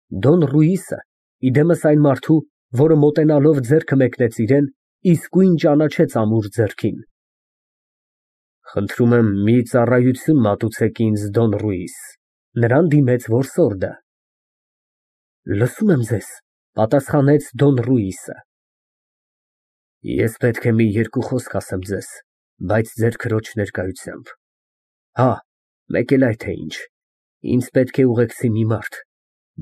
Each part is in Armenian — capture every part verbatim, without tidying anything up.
Դոն Ռուիսը, իդեմս այն մարդու, որը մոտենալով ձեռքը մեկնեց իրան, իսկույն ճանաչեց ամուր ձեռքին։ Խնդրում եմ, մի ծառայություն մատուցեք ինձ, Դոն Ռուիս, նրան դիմեց որսորդը։ Լսում եմ ձեզ, պատասխանեց Դոն Ռուիսը։ Ես պետք է մի երկու խոսք ասեմ ձեզ, բայց ձեր քրոջ ներկայությամբ։ Հա, մեկ էլ այդ է ինչ, ինձ պետք է ուղեկցի մի մարդ,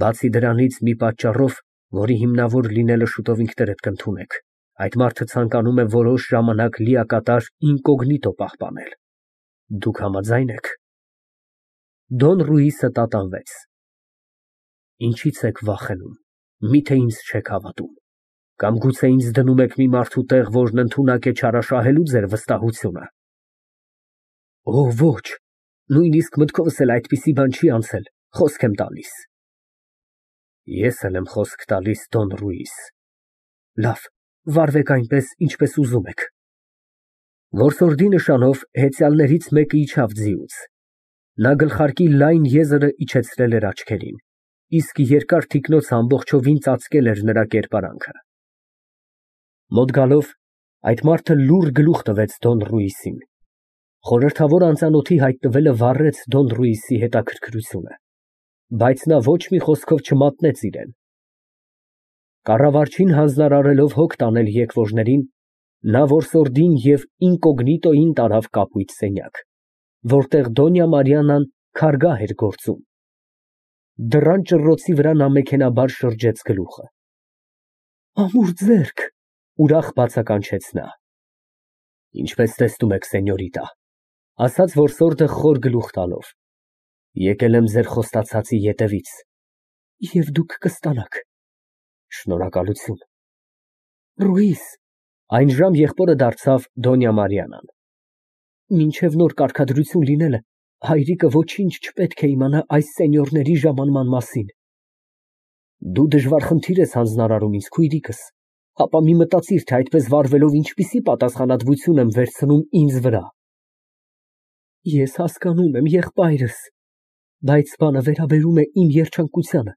բացի դրանից մի պատճառով, որի հիմնավոր լինելը շուտով ինքներդ կընդունեք, այդ մարդը ցանկանում է որոշ ժամանակ լիակատար ինկոգնիտո պահպանել։ Դուք համաձայն եք։ Դոն Ռուիսը տատանվեց։ Ինչից եք վախենում, միթե ինձ չեք հավատում, կամ գուցե ինձ դնում եք մի մարդու տեղ, որն ընդունակ է չարաշահելու ձեր վստահությունը։ Օ, ոչ, նույնիսկ մտքովս էլ այդպիսի բան չի անցել, խոսք եմ տալիս։ Ես էլ եմ խոսք տալիս, Դոն Ռուիս։ Լավ, վարվեք այնպես, ինչպես ուզում եք։ Որսորդի նշանով հեծյալներից մեկը իջավ ձիուց։ Նա գլխարկի լայն եզրը իջեցրել էր աչքերին, իսկ երկար թիկնոցը ամբողջովին ծածկել էր նրա կերպարանքը։ Մոտ գալով, այդ մարդը լուռ գլուխ տվեց Դոն Ռուիսին։ Խորհրդավոր անծանոթի հայտնվելը վառեց Դոն Ռուիսի հետաքրքրությունը, բայց նա ոչ մի խոսքով չմատնեց իրան։ Կառավարչին հանձնարարելով հոգ տանել եկվորներին, նա որսորդին և ինկոգնիտոյին տարավ կապույտ սենյակ, որտեղ Դոնյա Մարիաննան քարգա էր գործում։ Դռան ճռռոցի վրա նա մեքենայաբար շրջեց գլուխը։ Ամուր ձեռք, ուրախ բացականչեց նա։ Ինչպես տեսնում եք, սենյորիտա, ասաց որսորդը խոր գլուխ տալով, եկել եմ ձեր խոստացածի ետևից, և դուք կստանաք։ Շնորհակալություն։ Ռուիս, այն ժամ եղբորը դարձավ Դոնյա Մարիաննան։ Մինչև նոր կարգադրություն լինելը, հայրիկը ոչինչ չպետք է իմանա այս սենյորների ժամանման մասին։ Դու դժվար խնդիր ես հանձնարարում ինձ, քույրիկս, ապա մի մտածիր, թե այդպես վարվելով ինչպիսի պատասխանատվություն եմ վերցնում ինձ վրա։ Ես հասկանում եմ, եղբայրս, բայց բանը վերաբերում է իմ երջանկությանը,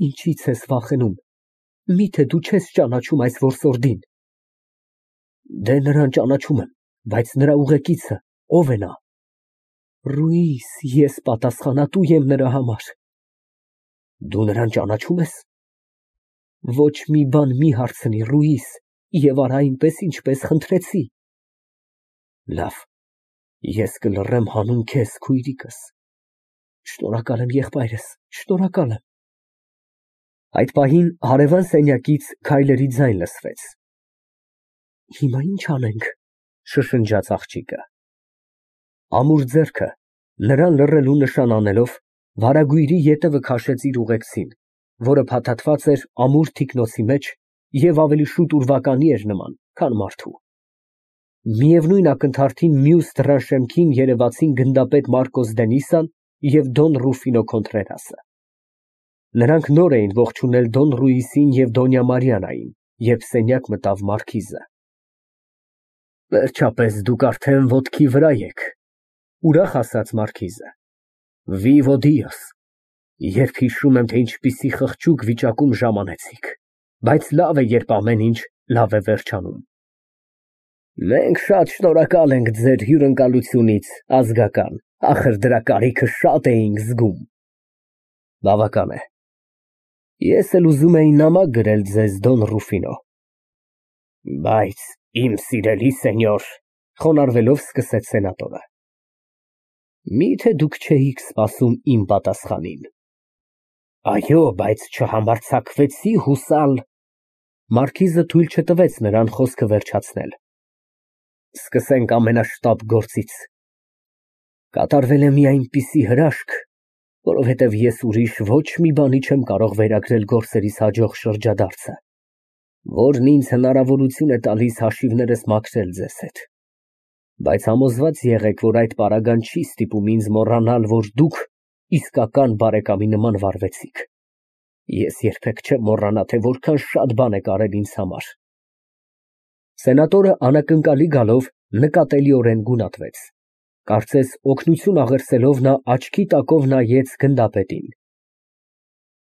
ինչից ես վախենում, միթե դու չես ճանաչում այս որսորդին։ Դե նրան ճանաչում եմ, բայց նրա ուղեկիցը ո՞վ է նա։ Ռուիս, ես պատասխանատու եմ նրա համար։ Դու նրան ճանաչում ես։ Ոչ մի բան մի հարցնի, Ռուիս, և արա այնպես, ինչպես խնդրեցի։ Լավ, ես կլռեմ հանուն քեզ, քույրիկս։ Շնորհակալ եմ, եղբայրս, շնորհակալ եմ։ Այդ պահին հարևան սենյակից քայլերի ձայն լսվեց։ Հիմա ի՞նչ անենք, շշնջաց աղջիկը։ Ամուր ձեռքը, նրան լռելու նշան անելով, վարագույրի ետևը քաշեց իր ուղեկցին, որը փաթաթված էր ամուր թիկնոցի մեջ և ավելի շուտ ուրվականի էր նման, քան մարդու։ Միևնույն ակնթարթին մյուս դռան շեմքին երևացին գնդապետ Մարկոս Դենիսան և Դոն Ռուֆինո Քոնտրերասը։ Նրանք նոր էին ողջունել Դոն Ռուիսին և Դոնյա Մարիաննային, երբ սենյակ մտավ մարքիզը։ Վերջապես դուք արդեն ոտքի վրա եք, ուրախ ասաց մարքիզը։ Վիվո Դիոս, երբ հիշում եմ, թե ինչպիսի խղճուկ վիճակում ժամանեցիք, բայց լավ է, երբ ամեն ինչ լավ է վերջանում։ Մենք շատ շնորհակալ ենք ձեր հյուրընկալությունից, ազգական, ախր դրա կարիքը շատ էինք զգում։ Բավական է։ Ես էլ ուզում էի նամակ գրել ձեզ, Դոն Ռուֆինո։ Բայց իմ սիրելի սենյոր, խոնարհվելով սկսեց սենատորը, միթե դուք չէիք սպասում իմ պատասխանին։ Այո, բայց չհամարձակվեցի հուսալ։ Մարքիզը թույլ չտվեց նրան խոսքը վերջացնել։ Սկսենք ամենաշտապ գործից։ Կատարվել է մի այնպիսի հրաշք, որովհետև ես ուրիշ ոչ մի բանի չեմ կարող վերագրել գործերիս հաջող շրջադարձը, որն ինձ հնարավորություն է տալիս հաշիվներս մաքրել ձեզ հետ։ Բայց համոզված եղեք, որ այդ պարագան չի ստիպում ինձ մոռանալ, որ դուք իսկական բարեկամի նման վարվեցիք։ Ես երբեք չեմ մոռանա, թե որքան շատ բան եք արել ինձ համար։ Սենատորը անակնկալի գալով նկատելիորեն գունատվեց։ Կարծես օգնություն աղերսելով նա աչքի տակով նայեց գնդապետին։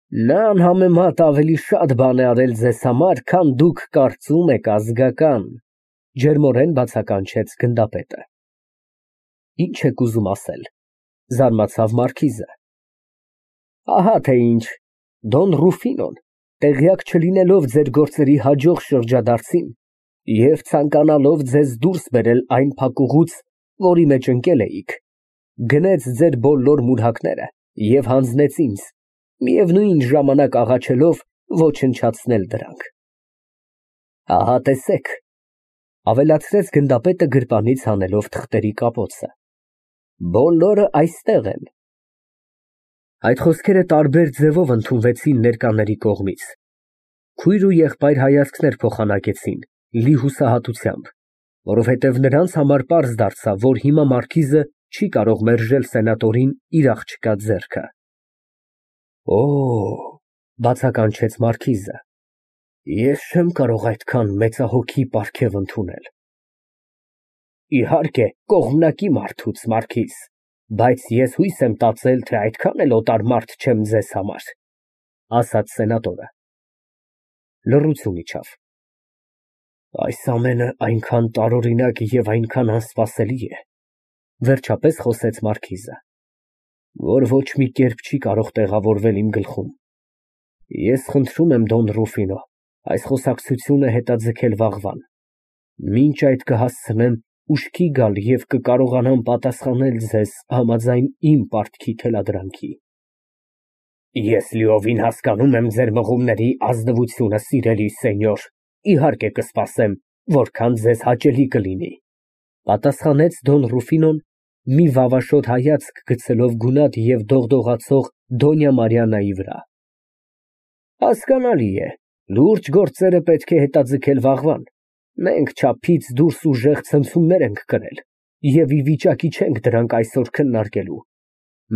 Նա անհամեմատ ավելի շատ բան է արել ձեզ համար, քան դուք կարծում եք ազգական, ջերմորեն բացականչեց գնդապետը։ Ինչ եք ուզում ասել, զարմացավ մարքիզը։ Ահա թե ինչ, Դոն Ռուֆինոն, տեղյակ չլինելով ձեր գործերի հաջող շրջադարձին և ցանկանալով ձեզ դուրս բերել այն փակուղուց, որի մեջ ընկել էիք, գնեց ձեր բոլոր մուրհակները և հանձնեց ինձ, միևնույն ժամանակ աղաչելով ոչնչացնել դրանք։ Ահա տեսեք, ավելացրեց գնդապետը գրպանից հանելով թղթերի կապոցը, բոլորը այստեղ են։ Այդ խոսքերը տարբեր ձևով ընդունվեցին ներկաների կողմից, քույր ու եղբայր հայացքներ փոխանակեցին, լի հուսահատությամբ, որովհետև նրանց համար պարզ դարձավ, որ հիմա մարքիզը չի կարող մերժել սենատորին իր աղջկա ձեռքը։ Օ, բացականչեց մարքիզը, ես չեմ կարող այդքան մեծահոգի պարգև ընդունել։ Իհարկե, կողմնակի մարդուց, մարքիզ, բայց ես հույս եմ տածել, թե այդքան էլ օտար մարդ չեմ ձեզ համար, ասաց սենատորը։ Լռություն իջավ։ Այս ամենը այնքան տարօրինակ և այնքան անսպասելի է, վերջապես խոսեց մարքիզը, որ ոչ մի կերպ չի կարող տեղավորվել իմ գլխում։ Ես խնդրում եմ, Դոն Ռուֆինո, այս խոսակցությունը հետաձգել վաղվան, մինչ այդ կհասցնեմ ուշքի գալ և կկարողանամ պատասխանել ձեզ համաձայն իմ պարտքի թելադրանքի։ Ես լիովին հասկանում եմ ձեր մղումների ազնվությունը, սիրելի սենյոր, իհարկե կսպասեմ, որքան ձեզ հաճելի կլինի, պատասխանեց Դոն Ռուֆինոն, մի վավաշոտ հայացք գցելով գունատ և դողդողացող Դոնյա Մարիաննայի վրա։ Հասկանալի է, լուրջ գործերը պետք է հետաձգել վաղվան, մենք չափից դուրս ուժեղ ցնցումներ ենք կրել և ի վիճակի չենք դրանք այսօր քննարկելու,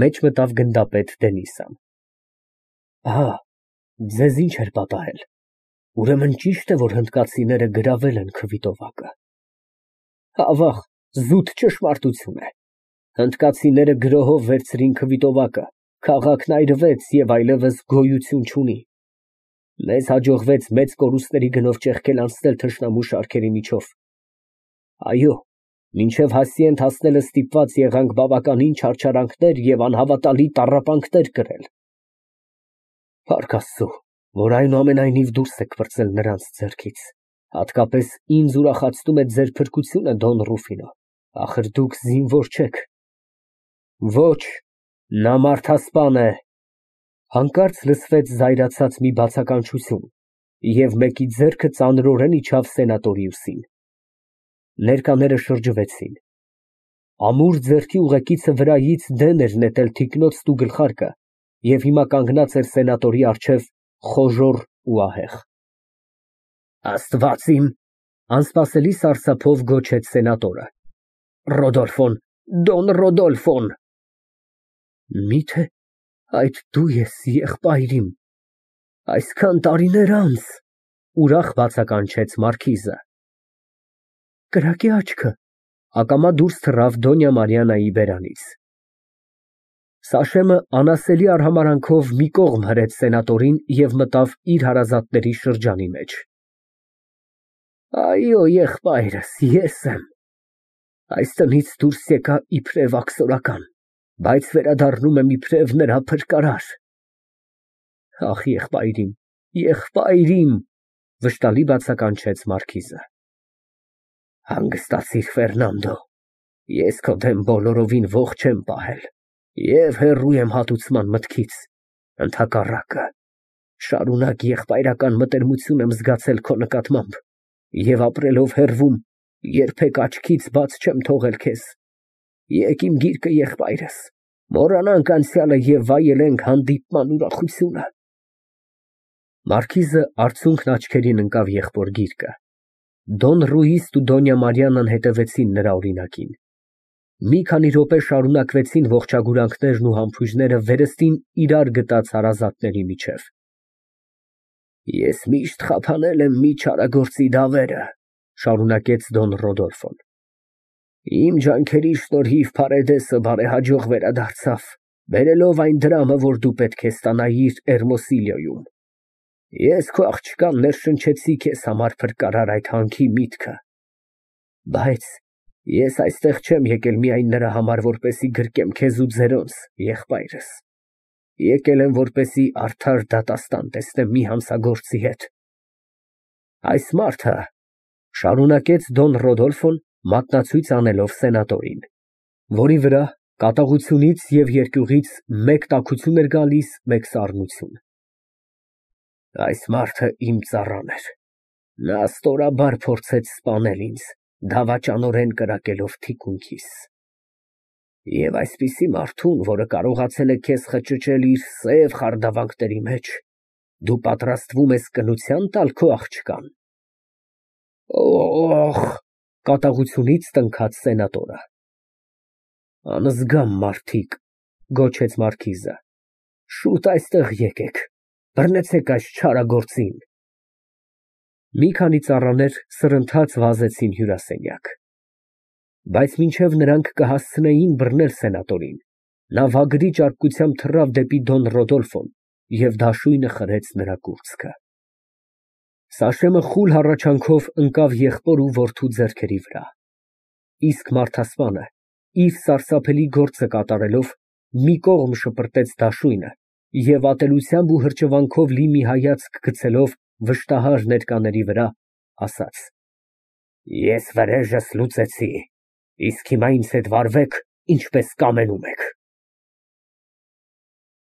մեջ մտավ գնդապետ Դենիսը։ Ահա, ձեզ ինչ էր պատահել, ուրեմն ճիշտ է, որ հնդկացիները գրավել են քվիտովակը։ Ավաղ, զուտ ճշմարտություն է, հնդկացիները գրոհով վերցրին քվիտովակը, քաղաքն այրվեց և այլևս գոյություն չունի։ Մեզ հաջողվեց մեծ կորուստների գնով ճեղքել անցնել թշնամու շարքերի միջով։ Այո, մինչև հասցի հասնելը ստիպված եղանք բավականին չարչարանքներ և անհավատալի տառապանքներ կրել։ Փառք Աստծո, որ այնուամենայնիվ դուրս եք պրծել նրանց ձեռքից, հատկապես ինձ ուրախացնում է ձեր փրկությունը, Դոն Ռուֆինո, ախր դուք զինվոր չեք։ Ոչ, նա մարդասպան է։ Հանկարծ լսվեց զայրացած մի բացականչություն, և մեկի ձեռքը ծանրորեն իջավ սենատորի ուսին։ Ներկաները շրջվեցին։ Ամուր ձեռքի ուղեկիցը վրայից դեն էր նետել թիկնոցն ու գլխարկը և հիմա կանգնած էր սենատորի առջև խոժոռ ու ահեղ։ Աստված իմ, անսպասելի սարսափով գոչեց սենատորը, Ռոդոլֆոն, Դոն Ռոդոլֆոն։ Մի՞թե այդ դու ես, եղբայր իմ, այսքան տարիներ անց, ուրախ բացականչեց մարքիզը։ Կրակե աչքը, ակամա դուրս թռավ Դոնյա Մարիաննայի բերանից։ Սաշեմը անասելի արհամարհանքով մի կողմ հրեց սենատորին և մտավ իր հարազատների շրջանի մեջ։ Այո, եղբայրս, ես եմ։ Այս տնից դուրս եկա իբրև աքսորական, բայց վերադառնում եմ իբրև նրա փրկարար։ Ախ, եղբայր իմ, եղբայր իմ, վշտալի բացականչեց մարքիզը։ Հանգստացիր, Ֆերնանդո, ես քո դեմ բոլորովին ողջ չեմ պահել և հեռու եմ հատուցման մտքից, ընդհակառակը, շարունակ եղբայրական մտերմություն եմ զգացել քո նկատմամբ և ապրելով հեռվում, երբեք աչքից բաց չեմ թողել քեզ։ Եկ իմ գիրկը, եղբայրս, մոռանանք անցյալը և վայելենք հանդիպման ուրախությունը։ Մարքիզը արցունքն աչքերին ընկավ եղբոր գիրկը։ Դոն Ռուիսն ու Դոնյա Մարիաննան հետևեցին նրա օրինակին։ Մի քանի րոպե շարունակվեցին ողջագուրանքներն ու համբույրները վերստին իրար գտած հարազատների միջև։ Ես միշտ խափանել եմ մի չարագործի դավերը, շարունակեց Դոն Ռոդոլֆոն։ Իմ ջանքերի շնորհիվ Փարեդեսը բարեհաջող վերադարձավ, բերելով այն դրամը, որ դու պետք է ստանայիր Էրմոսիլիոյում։ Ես քո աղջկան ներշնչեցի քեզ համար փրկարար այդ հանքի միտքը, բայց ես այստեղ չեմ եկել միայն նրա համար, որպեսզի գրկեմ քեզ ու ձերոնց, եղբայրս, եկել եմ, որպեսզի արդար դատաստան տեսնեմ մի հանցագործի հետ։ Այս մարդը, շարունակեց Դոն Ռոդոլֆոն, մատնացույց անելով սենատորին, որի վրա կատաղությունից և երկյուղից մեկ տաքություն էր գալիս, մեկ սառնություն, այս մարդը իմ ծառան էր, նա ստորաբար փորձեց սպանել ինձ, դավաճանորեն կրակելով թիկունքիս, և այսպիսի մարդուն, որը կարողացել է քեզ խճճել իր սև խարդավանքների մեջ, դու պատրաստվում ես կնության տալ քո աղջկան։ Օոխ, կատաղությունից տնքաց սենատորը։ Անզգամ մարդիկ, գոչեց մարքիզը, շուտ այստեղ եկեք, բռնեցեք այս չարագործին։ Մի քանի ծառաներ սրընթաց վազեցին հյուրասենյակ, բայց մինչև նրանք կհասցնեին բռնել սենատորին, նա վագրի ճարպկությամբ թռավ դեպի Դոն Ռոդոլֆոն և դաշույնը խրեց նրա կուրծքը։ Սաշեմը խուլ հառաչանքով ընկավ եղբոր ու որդու ձեռքերի վրա, իսկ մարդասպանը, իր սարսափելի գործը կատարելով, մի կողմ շպրտեց դաշույնը և ատելությամբ ու հրճվանքով լի մի հայացք գցելով վշտահար ներկաների վրա, ասաց. Ես վրեժս լուծեցի, իսկ հիմա ինձ հետ վարվեք, ինչպես կամենում եք։